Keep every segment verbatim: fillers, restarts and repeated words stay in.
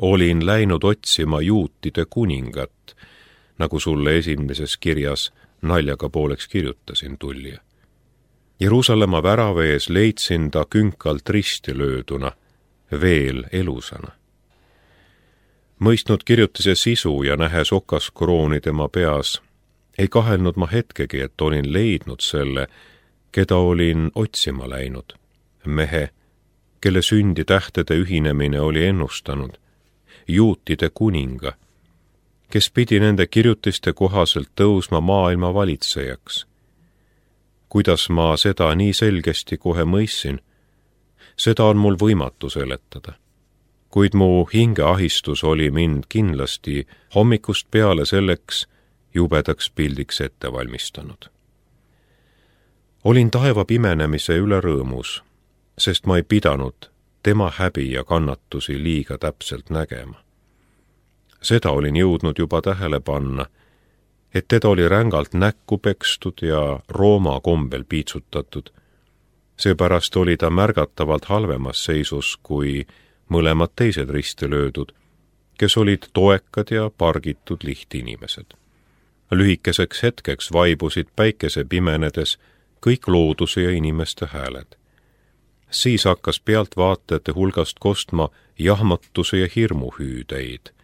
olin läinud otsima juutide kuningat, nagu sulle esimeses kirjas naljaga pooleks kirjutasin, Tullija. Jeruusalemma värava ees leidsin ta künkalt risti lööduna, veel elusana. Mõistnud kirjutise sisu ja nähes okaskrooni tema peas, ei kahelnud ma hetkegi, et olin leidnud selle, keda olin otsima läinud, mehe, kelle sündi tähtede ühinemine oli ennustanud, juutide kuninga, kes pidi nende kirjutiste kohaselt tõusma maailma valitsejaks. Kuidas ma seda nii selgesti kohe mõistsin, seda on mul võimatu seletada. Kuid mu hingeahistus oli mind kindlasti hommikust peale selleks jubedaks pildiks ette valmistanud. Olin taeva pimenemise üle rõõmus, sest ma ei pidanud tema häbi ja kannatusi liiga täpselt nägema. Seda olin jõudnud juba tähele panna, et teda oli rängalt näkku pekstud ja Rooma kombel piitsutatud. Seepärast oli ta märgatavalt halvemas seisus kui mõlemad teised risti löödud, kes olid toekad ja pargitud lihtinimesed. Lühikeseks hetkeks vaibusid päikese pimenedes kõik looduse ja inimeste hääled. Siis hakkas pealtvaatajate hulgast kostma jahmatuse ja hirmuhüüdeid.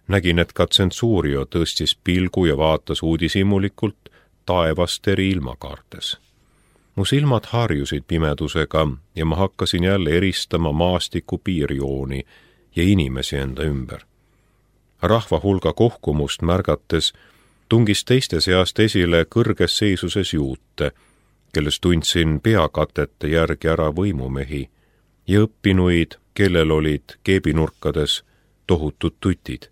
Nägin, et ka tsensuurio tõstis pilgu ja vaatas uudishimulikult taevast eri ilmakaartes. Mu silmad harjusid pimedusega ja ma hakkasin jälle eristama maastiku piirjooni ja inimesi enda ümber. Rahva hulga kohkumust märgates tungis teiste seast esile kõrges seisuses juute, kellest tundsin peakatete järgi ära võimumehi ja õppinuid, kellel olid keebinurkades tohutud tutid.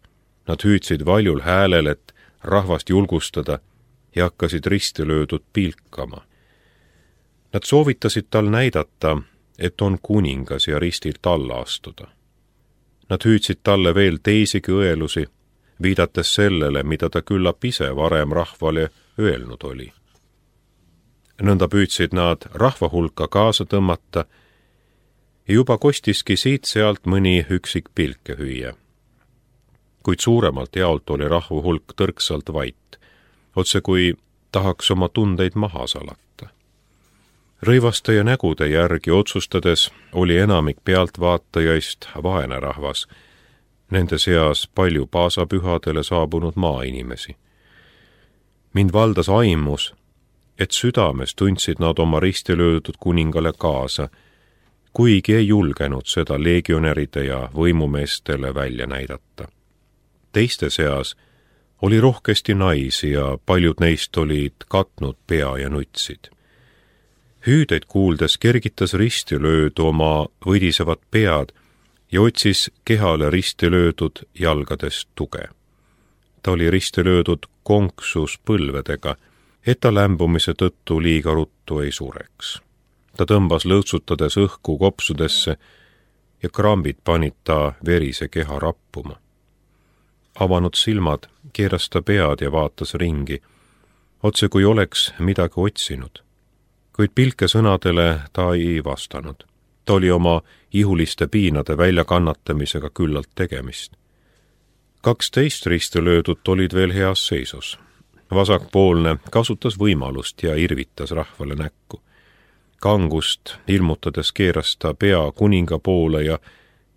Nad hüüdsid valjul häälel, et rahvast julgustada ja hakkasid risti löödud pilkama. Nad soovitasid tal näidata, et on kuningas ja ristilt alla astuda. Nad hüüdsid talle veel teisigi õelusi, viidates sellele, mida ta küllap ise varem rahvale öelnud oli. Nõnda püüdsid nad rahva hulka kaasa tõmmata ja juba kostiski siit-sealt mõni üksik pilke hüüa. Kuid suuremalt jaolt oli rahva hulk tõrksalt vait, otse kui tahaks oma tundeid maha salata. Rõivaste ja nägude järgi otsustades oli enamik pealtvaatajaist vaene rahvas, nende seas palju paasapühadele saabunud maainimesi. Mind valdas aimus, et südames tundsid nad oma risti löödud kuningale kaasa, kuigi ei julgenud seda legionäride ja võimumeestele välja näidata. Teiste seas oli rohkesti naisi ja paljud neist olid katnud pea ja nutsid. Hüüdeid kuuldes kergitas risti löödu oma võdisevad pead ja otsis kehale risti löödud jalgadest tuge. Ta oli risti löödud konksus põlvedega, et ta lämbumise tõttu liiga ruttu ei sureks. Ta tõmbas lõõtsutades õhku kopsudesse ja krambid panid ta verise keha rappuma. Avanud silmad keeras ta pead ja vaatas ringi, otse kui oleks midagi otsinud. Kuid pilke sõnadele ta ei vastanud. Ta oli oma ihuliste piinade väljakannatamisega küllalt tegemist. Kaksteist risti löödut olid veel heas seisus. Vasakpoolne kasutas võimalust ja irvitas rahvale näkku. Kangust ilmutades keeras ta pea kuninga poole ja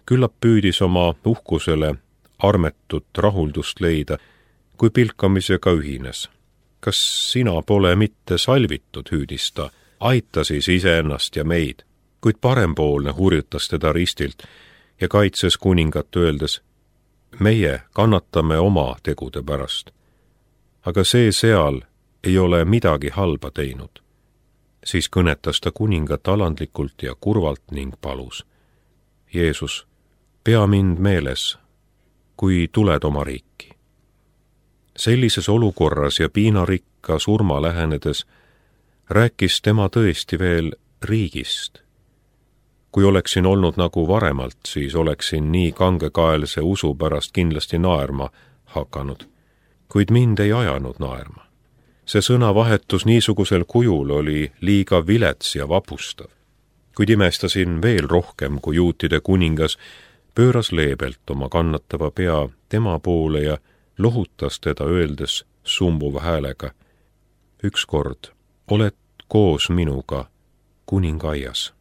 küllap püüdis oma uhkusele armetut rahuldust leida, kui pilkamisega ühines. Kas sina pole mitte salvitud, hüüdis ta, aita siis iseennast ja meid, kuid parempoolne hurjutas teda ristilt ja kaitses kuningat öeldes, meie kannatame oma tegude pärast. Aga see seal ei ole midagi halba teinud. Siis kõnetas ta kuningat alandlikult ja kurvalt ning palus. Jeesus, pea mind meeles, kui tuled oma riiki. Sellises olukorras ja piinarikka surma lähenedes rääkis tema tõesti veel riigist. Kui oleksin olnud nagu varemalt, siis oleksin nii kangekaelse usu pärast kindlasti naerma hakanud, kuid mind ei ajanud naerma. See sõnavahetus niisugusel kujul oli liiga vilets ja vapustav. Kuid imestasin veel rohkem, kui juutide kuningas pööras leebelt oma kannatava pea tema poole ja lohutas teda öeldes sumbuva häälega: ükskord oled koos minuga kuningaaias.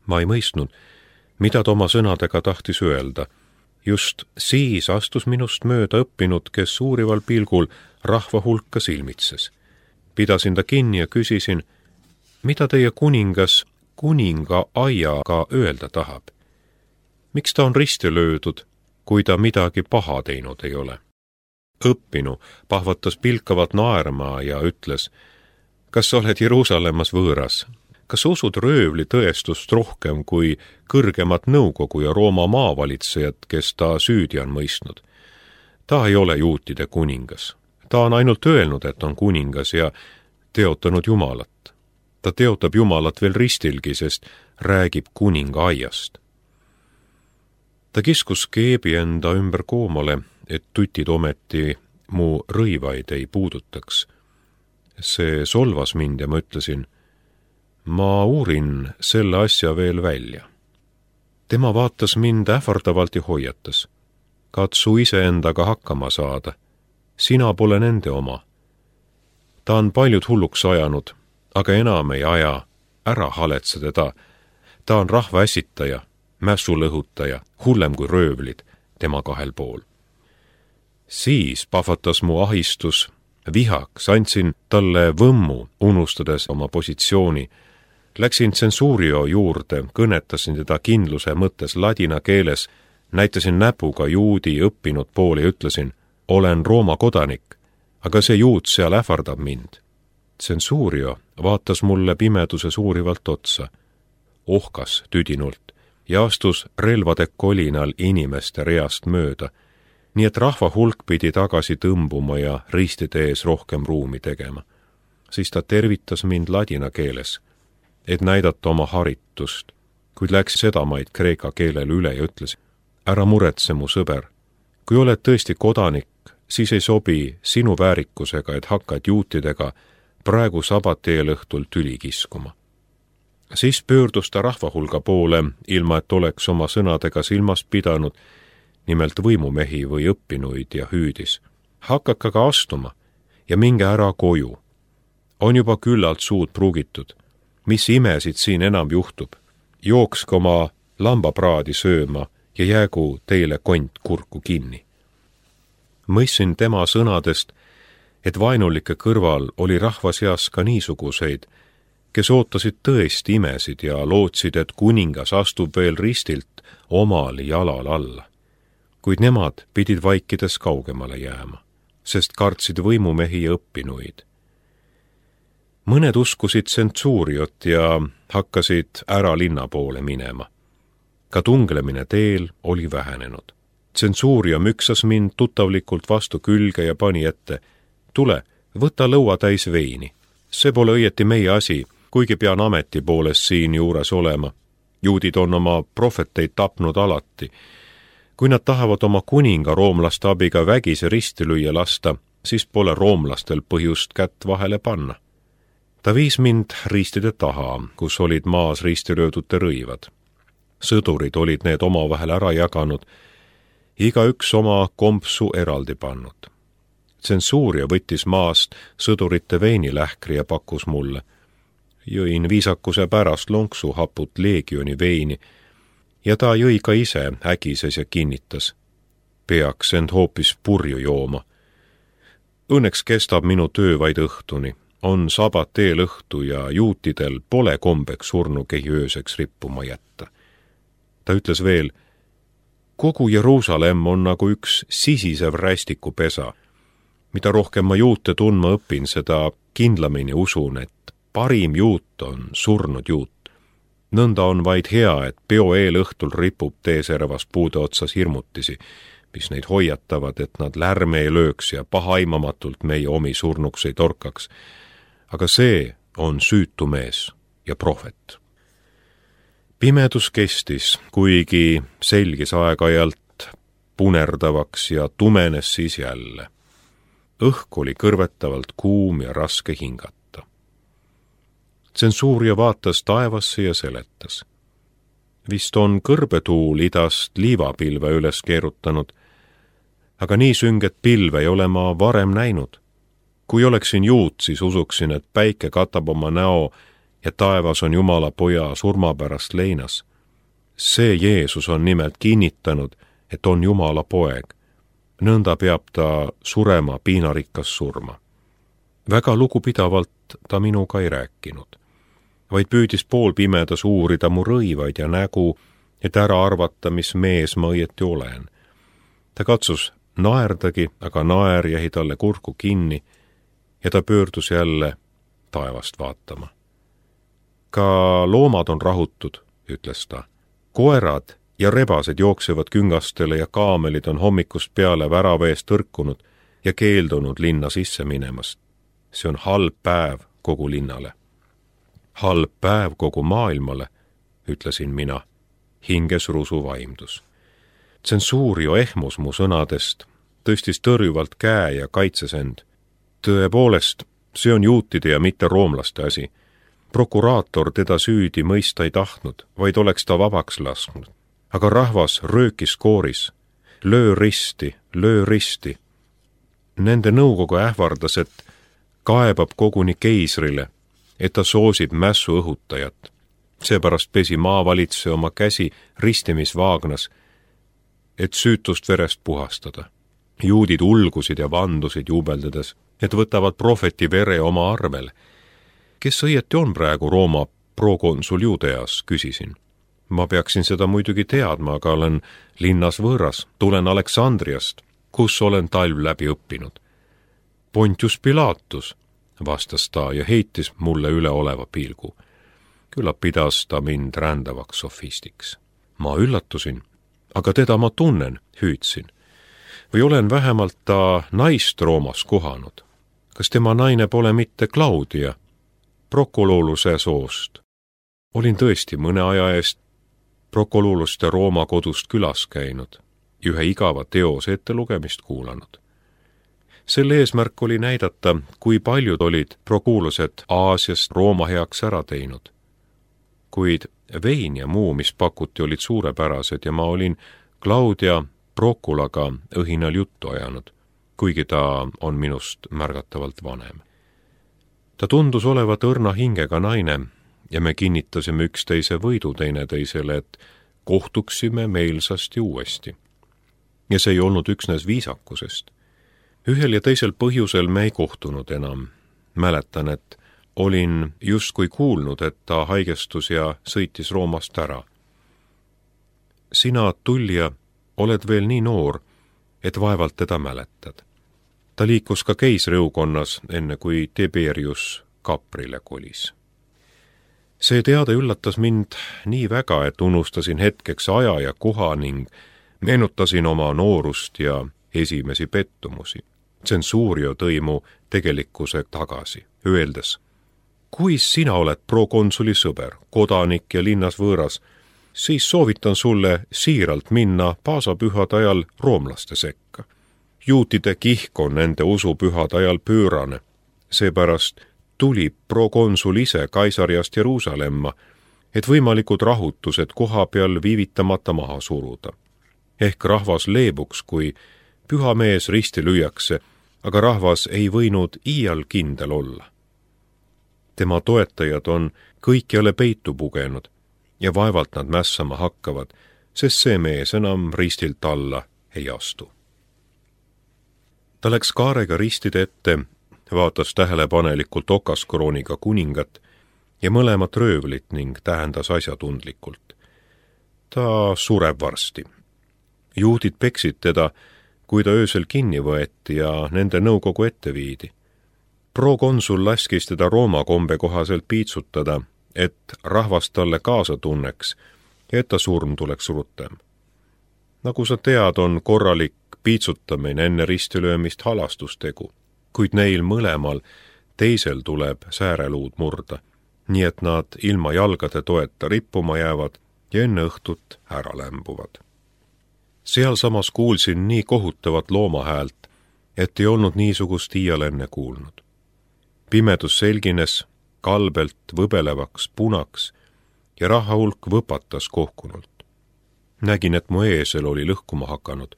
Ma ei mõistnud, mida ta oma sõnadega tahtis öelda. Just siis astus minust mööda õppinud, kes uurival pilgul rahva hulka silmitses. Pidasin ta kinni ja küsisin, mida teie kuningas kuningaaiaga öelda tahab. Miks ta on risti löödud, kui ta midagi paha teinud ei ole? Õppinu pahvatas pilkavalt naerma ja ütles: kas sa oled Jeruusalemmas võõras? Kas usud röövli tõestust rohkem kui kõrgemat nõukogu ja Rooma maavalitsejat, kes ta süüdi on mõistnud? Ta ei ole juutide kuningas. Ta on ainult öelnud, et on kuningas ja teotanud Jumalat. Ta teotab Jumalat veel ristilgi, sest räägib kuningaaiast. Ta kiskus keebi enda ümber koomale, et tutid ometi mu rõivaid ei puudutaks. See solvas mind ja ma ütlesin: ma uurin selle asja veel välja. Tema vaatas mind ähvardavalt ja hoiatas: katsu iseendaga hakkama saada. Sina pole nende oma. Ta on paljud hulluks ajanud, aga enam ei aja. Ära haletse teda. Ta on rahva ässitaja, mässulõhutaja, hullem kui röövlid tema kahel pool. Siis pahvatas mu ahistus vihaks, andsin talle võmmu, unustades oma positsiooni. Läksin tsensuurio juurde, kõnetasin teda kindluse mõttes ladina keeles, näitasin näpuga juudi õppinud poole ja ütlesin: olen Rooma kodanik, aga see juut seal ähvardab mind. Tsensuurio vaatas mulle pimeduses uurivalt otsa, ohkas tüdinult ja astus relvade kolinal inimeste reast mööda, nii et rahva hulk pidi tagasi tõmbuma ja ristide ees rohkem ruumi tegema. Siis ta tervitas mind ladina keeles, et näidata oma haritust, kuid läks sedamaid kreeka keelele üle ja ütles: ära muretse, mu sõber, kui oled tõesti kodanik, siis ei sobi sinu väärikusega, et hakkad juutidega praegu sabateel õhtul tüli kiskuma. Siis pöördus ta rahvahulga poole, ilma et oleks oma sõnadega silmas pidanud, nimelt võimumehi või õppinuid, ja hüüdis: hakake aga astuma ja minge ära koju. On juba küllalt suud pruugitud. Mis imesid siin enam juhtub? Jookske oma lambapraadi sööma ja jäägu teile kont kurku kinni. Mõistsin tema sõnadest, et vainulike kõrval oli rahva seas ka niisuguseid, kes ootasid tõesti imesid ja lootsid, et kuningas astub veel ristilt omal jalal alla. Kuid nemad pidid vaikides kaugemale jääma, sest kartsid võimumehi ja õppinuid. Mõned uskusid tsensuuriot ja hakkasid ära linna poole minema. Ka tunglemine teel oli vähenenud. Tsensuurio müksas mind tuttavlikult vastu külge ja pani ette: tule, võta lõua täis veini. See pole õieti meie asi, kuigi pean ameti poolest siin juures olema. Juudid on oma prohveteid tapnud alati. Kui nad tahavad oma kuninga roomlaste abiga vägisi risti lüüa lasta, siis pole roomlastel põhjust kätt vahele panna. Ta viis mind ristide taha, kus olid maas ristilöödute rõivad. Sõdurid olid need omavahel ära jaganud, iga üks oma kompsu eraldi pannud. Tsensuuria võttis maast sõdurite veinilähkri ja pakkus mulle. Jõin viisakuse pärast lonksu haput leegioni veini ja ta jõi ka ise ägises ja kinnitas: peaks end hoopis purju jooma. Õnneks kestab minu töö vaid õhtuni. On sabat eelõhtu ja juutidel pole kombeks surnukehi ööseks rippuma jätta. Ta ütles veel: kogu Jeruusalemm on nagu üks sisisev rästikupesa. Mida rohkem ma juute tundma õpin, seda kindlamini usun, et parim juut on surnud juut. Nõnda on vaid hea, et peo eelõhtul ripub teeservas puude otsas hirmutisi, mis neid hoiatavad, et nad lärme ei lööks ja pahaimamatult meie omi surnuks ei torkaks. Aga see on süütu mees ja prohvet. Pimedus kestis, kuigi selgis aeg-ajalt punerdavaks ja tumenes siis jälle. Õhk oli kõrvetavalt kuum ja raske hingata. Tsensuuria vaatas taevasse ja seletas: Vist on kõrbetuul idast liivapilve üles keerutanud, aga nii sünget pilve ei ole ma varem näinud. Kui oleksin juut, siis usuksin, et päike katab oma näo ja taevas on Jumala poja surma pärast leinas. See Jeesus on nimelt kinnitanud, et on Jumala poeg. Nõnda peab ta surema piinarikkas surma. Väga lugupidavalt ta minuga ei rääkinud, vaid püüdis poolpimedas uurida mu rõivaid ja nägu, et ära arvata, mis mees ma õieti olen. Ta katsus naerdagi, aga naer jäi talle kurku kinni ja ta pöördus jälle taevast vaatama. Ka loomad on rahutud, ütles ta. Koerad ja rebased jooksevad küngastele ja kaamelid on hommikust peale värava eest tõrkunud ja keeldunud linna sisse minemast. See on halb päev kogu linnale. Halb päev kogu maailmale, ütlesin mina, hinges rusu vaimdus. Tsensuurio ehmus mu sõnadest, tõstis tõrjuvalt käe ja kaitses end. Tõepoolest, see on juutide ja mitte roomlaste asi. Prokuraator teda süüdi mõista ei tahtnud, vaid oleks ta vabaks lasknud. Aga rahvas röökis kooris. Löö risti, löö risti. Nende nõukogu ähvardas, et kaebab koguni keisrile, et ta soosib mässu õhutajat. Seepärast pesi maavalitse oma käsi ristimisvaagnas, et süütust verest puhastada. Juudid ulgusid ja vandusid juubeldades, et võtavad prohveti vere oma arvel. Kes õieti on praegu Rooma prokonsul Juudeas, küsisin. Ma peaksin seda muidugi teadma, aga olen linnas võõras, tulen Aleksandriast, kus olen talv läbi õppinud. Pontius Pilatus, vastas ta ja heitis mulle üleoleva pilgu. Küllap pidas ta mind rändavaks sofistiks. Ma üllatusin, aga teda ma tunnen, hüüdsin. Või olen vähemalt ta naist Roomas kohanud. Kas tema naine pole mitte Claudia, Prokololuse soost? Olin tõesti mõne aja eest Prokololuste Rooma kodust külas käinud, ühe igava teose ettelugemist kuulanud. Selle eesmärk oli näidata, kui paljud olid prokuulused Aasiast Rooma heaks ära teinud. Kuid vein ja muu, mis pakuti, olid suurepärased ja ma olin Claudia Prokulaga õhinal juttu ajanud, kuigi ta on minust märgatavalt vanem. Ta tundus olevat õrna hingega naine ja me kinnitasime üksteise võidu teineteisele, et kohtuksime meelsasti uuesti. Ja see ei olnud üksnes viisakusest. Ühel ja teisel põhjusel me ei kohtunud enam. Mäletan, et olin justkui kuulnud, et ta haigestus ja sõitis Roomast ära. Sina, Tullija, oled veel nii noor, et vaevalt teda mäletad. Ta liikus ka keisriukonnas, enne kui Tiberius kaprile kolis. See teade üllatas mind nii väga, et unustasin hetkeks aja ja koha ning meenutasin oma noorust ja esimesi pettumusi. Tsensuurio tõi mu tegelikkuse tagasi, öeldes, kui sina oled prokonsuli sõber, kodanik ja linnas võõras, siis soovitan sulle siiralt minna paasapühade ajal roomlaste sekka. Juutide kihk on nende usupühade ajal pöörane, seepärast tuli prokonsul ise Kaisariast Jeruusalemma, et võimalikud rahutused koha peal viivitamata maha suruda. Ehk rahvas leebuks, kui püha mees risti lüüakse, aga rahvas ei võinud iial kindel olla. Tema toetajad on kõikjale peitu pugenud ja vaevalt nad mässama hakkavad, sest see mees enam ristilt alla ei astu. Ta läks kaarega ristide ette, vaatas tähelepanelikult okaskrooniga kuningat ja mõlemat röövlit ning tähendas asjatundlikult. Ta sureb varsti. Juudid peksid teda, kui ta öösel kinni võeti ja nende nõukogu ette viidi. Prokonsul laskis teda Rooma kombe kohaselt piitsutada, et rahvas talle kaasa tunneks ja et ta surm tuleks rutem. Nagu sa tead, on korralik piitsutamine enne ristilöömist halastustegu, kuid neil mõlemal teisel tuleb sääreluud murda, nii et nad ilma jalgade toeta rippuma jäävad ja enne õhtut ära lämbuvad. Seal samas kuulsin nii kohutavat loomahäält, et ei olnud niisugust iial enne kuulnud. Pimedus selgines kalbelt võbelevaks punaks ja raha hulk võpatas kohkunult. Nägin, et mu eesel oli lõhkuma hakanud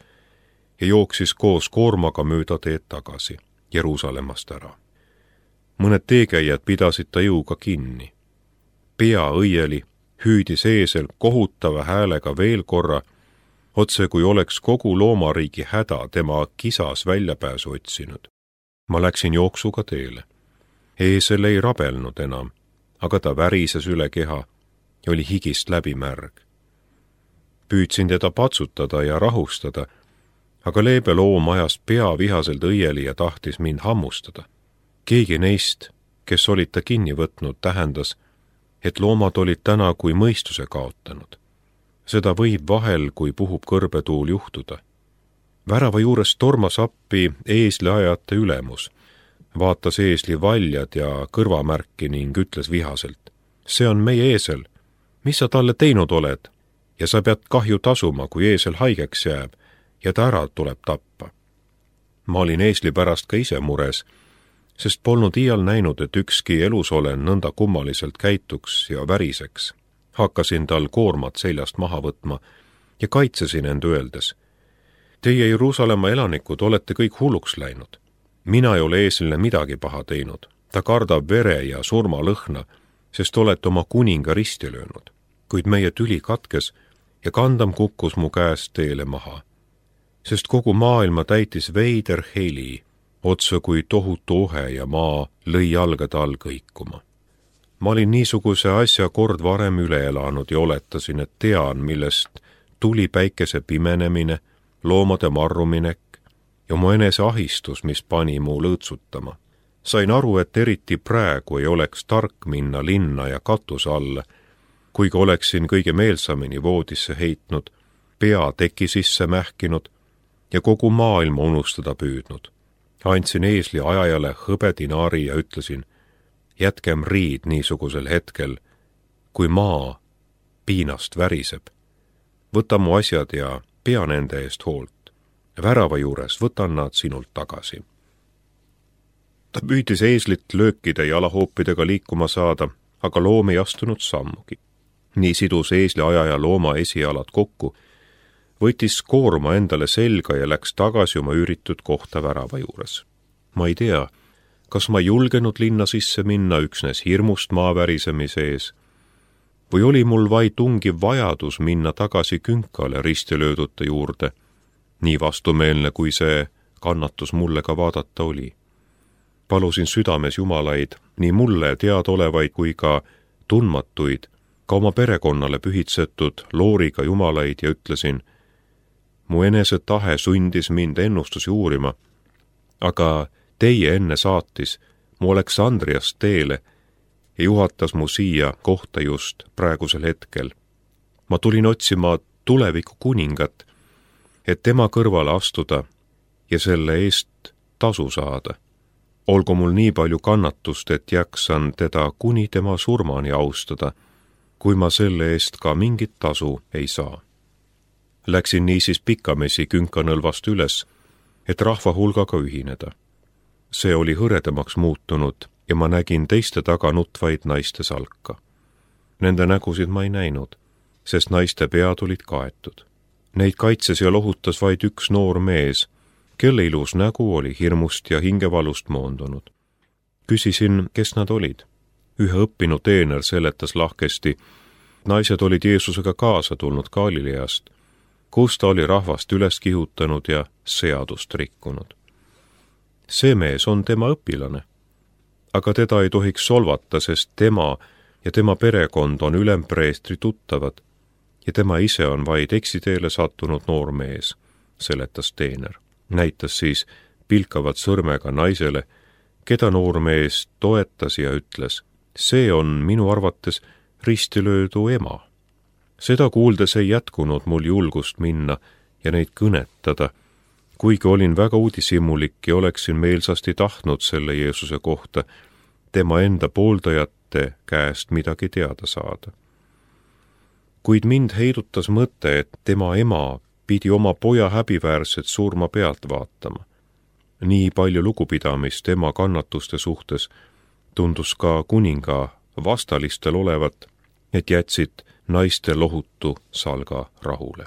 ja jooksis koos koormaga mööda teed tagasi Jeruusalemmast ära. Mõned teekäijad pidasid ta jõuga kinni. Pea õieli hüüdis eesel kohutava häälega veel korra, otse kui oleks kogu loomariigi häda tema kisas väljapääsu otsinud. Ma läksin jooksuga teele. Eesel ei rabelnud enam, aga ta värises üle keha ja oli higist läbi märg. Püüdsin teda patsutada ja rahustada, aga leebe loom ajas pea vihaselt õieli ja tahtis mind hammustada. Keegi neist, kes olid ta kinni võtnud, tähendas, et loomad olid täna kui mõistuse kaotanud. Seda võib vahel, kui puhub kõrbetuul, juhtuda. Värava juures tormas appi eesliajate ülemus, vaatas eesli valjad ja kõrvamärki ning ütles vihaselt: see on meie eesel, mis sa talle teinud oled, ja sa pead kahju tasuma, kui eesel haigeks jääb ja ta ära tuleb tappa. Ma olin eesli pärast ka ise mures, sest polnud iial näinud, et ükski elusolen nõnda kummaliselt käituks ja väriseks. Hakkasin tal koormat seljast maha võtma ja kaitsesin end öeldes: teie Jeruusalemma elanikud olete kõik hulluks läinud. Mina ei ole eeslile midagi paha teinud. Ta kardab vere ja surmalõhna, sest olete oma kuninga risti löönud. Kuid meie tüli katkes ja kandam kukkus mu käest teele maha, sest kogu maailma täitis veider heli, otse kui tohutu ohe ja maa lõi jalgade all kõikuma. Ma olin niisuguse asja kord varem üle elanud ja oletasin, et tean, millest tuli päikese pimenemine, loomade marruminek ja mu enese ahistus, mis pani mu lõõtsutama. Sain aru, et eriti praegu ei oleks tark minna linna ja katuse alla, kuigi oleksin kõige meelsamini voodisse heitnud, pea teki sisse mähkinud ja kogu maailma unustada püüdnud. Andsin eesli ajajale hõbedinaari ja ütlesin: jätkem riid niisugusel hetkel, kui maa piinast väriseb. Võta mu asjad ja pea nende eest hoolt. Värava juures võtan nad sinult tagasi. Ta püüdis eeslit löökide ja alahoopidega liikuma saada, aga loom ei astunud sammugi. Nii sidus eesli ajaja looma esialad kokku, võttis koorma endale selga ja läks tagasi oma üüritud kohta värava juures. Ma ei tea, kas ma julgenud linna sisse minna üksnes hirmust maavärisemise ees, või oli mul vaid tungiv vajadus minna tagasi künkale ristilöödute juurde, nii vastumeelne, kui see kannatus mulle ka vaadata oli. Palusin südames jumalaid, nii mulle teadolevaid kui ka tundmatuid, ka oma perekonnale pühitsetud looriga jumalaid ja ütlesin: mu enese tahe sundis mind ennustusi uurima, aga teie enne saatis mu Aleksandriast teele ja juhatas mu siia kohta just praegusel hetkel. Ma tulin otsima tuleviku kuningat, et tema kõrvale astuda ja selle eest tasu saada. Olgu mul nii palju kannatust, et jaksan teda kuni tema surmani austada, kui ma selle eest ka mingit tasu ei saa. Läksin niisiis pikamesi künkanõlvast üles, et rahva hulgaga ühineda. See oli hõredamaks muutunud ja ma nägin teiste taga nutvaid naiste salka. Nende nägusid ma ei näinud, sest naiste pead olid kaetud. Neid kaitses ja lohutas vaid üks noor mees, kelle ilus nägu oli hirmust ja hingevalust moondunud. Küsisin, kes nad olid. Ühe õppinud teener seletas lahkesti. Naised olid Jeesusega kaasa tulnud Galileast, kus ta oli rahvast üles kihutanud ja seadust rikkunud. See mees on tema õpilane, aga teda ei tohiks solvata, sest tema ja tema perekond on ülempreestri tuttavad ja tema ise on vaid eksiteele sattunud noor mees, seletas teener. Näitas siis pilkavat sõrmega naisele, keda noor mees toetas ja ütles: see on minu arvates ristilöödu ema. Seda kuuldes ei jätkunud mul julgust minna ja neid kõnetada, kuigi olin väga uudishimulik ja oleksin meelsasti tahtnud selle Jeesuse kohta tema enda pooldajate käest midagi teada saada. Kuid mind heidutas mõte, et tema ema pidi oma poja häbiväärset surma pealt vaatama. Nii palju lugupidamist ema kannatuste suhtes tundus ka kuninga vastalistel olevat, et jätsid naiste lohutu salga rahule.